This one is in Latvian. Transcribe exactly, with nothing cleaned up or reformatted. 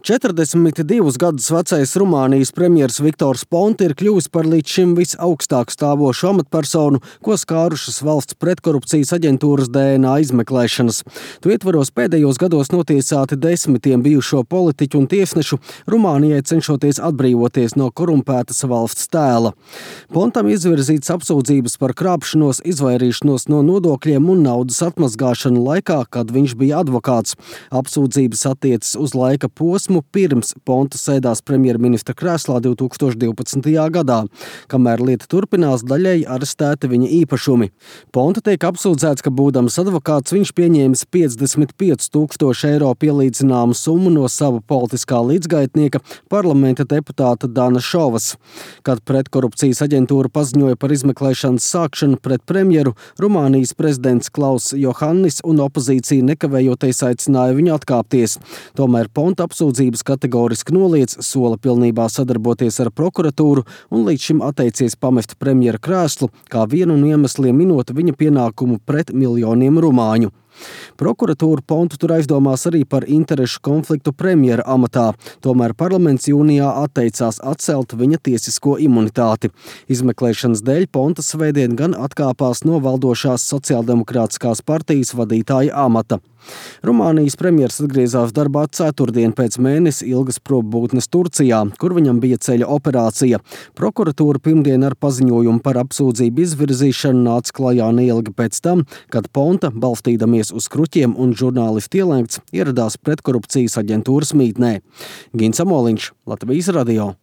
četrdesmit divus gadus vecais Rumānijas premjers Viktors Ponta ir kļuvis par līdz šim visaugstāk stāvošu amatpersonu, ko skārušas valsts pretkorupcijas aģentūras D N A izmeklēšanas. Tu ietvaros pēdējos gados notiesāti desmitiem bijušo politiķu un tiesnešu, Rumānijai cenšoties atbrīvoties no korumpētas valsts tēla. Pontam izvirzīts apsūdzības par krāpšanos, izvairīšanos no nodokļiem un naudas atmazgāšanu laikā, kad viņš bija advokāts. Apsūdzības attiecas uz laika posmu pirms Ponta sēdās premjerministra krēslā divi tūkstoši divpadsmitajā gadā, kamēr lieta turpinās, daļēji arestēti viņa īpašumi. Ponta tiek apsūdzēts, ka būdams advokāts viņš pieņēmis piecdesmit pieci tūkstoši eiro pielīdzināmu summu no sava politiskā līdzgaitnieka, parlamenta deputāta Dana Šovas. Kad pretkorupcijas aģentūra paziņoja par izmeklēšanas sākšanu pret premjeru, Rumānijas prezidents Klauss Johannis un opozīcija nekavējoties aicināja viņu atkāpties. Tomēr Ponta apsūdzības kategoriski noliedz, sola pilnībā sadarboties ar prokuratūru un līdz šim atteicies pamest premjera krēslu, kā vienu no iemesliem minot viņa pienākumu pret miljoniem rumāņu. Prokuratūra Pontu tur aizdomās arī par interešu konfliktu premjera amatā, tomēr parlaments jūnijā atteicās atcelt viņa tiesisko imunitāti. Izmeklēšanas dēļ Ponta svētdien gan atkāpās no valdošās sociāldemokrātiskās partijas vadītāja amata. Rumānijas premjers atgriezās darbā ceturtdien pēc mēnesi ilgas probūtnes Turcijā, kur viņam bija ceļa operācija. Prokuratūra pirmdien ar paziņojumu par apsūdzību izvirzīšanu nāca klajā neilgi pēc tam, kad Ponta, balstīdamies uz kruķiem un žurnālistu ielēgts, ieradās pretkorupcijas aģentūras mītnē. Gins Amoliņš, Latvijas radio.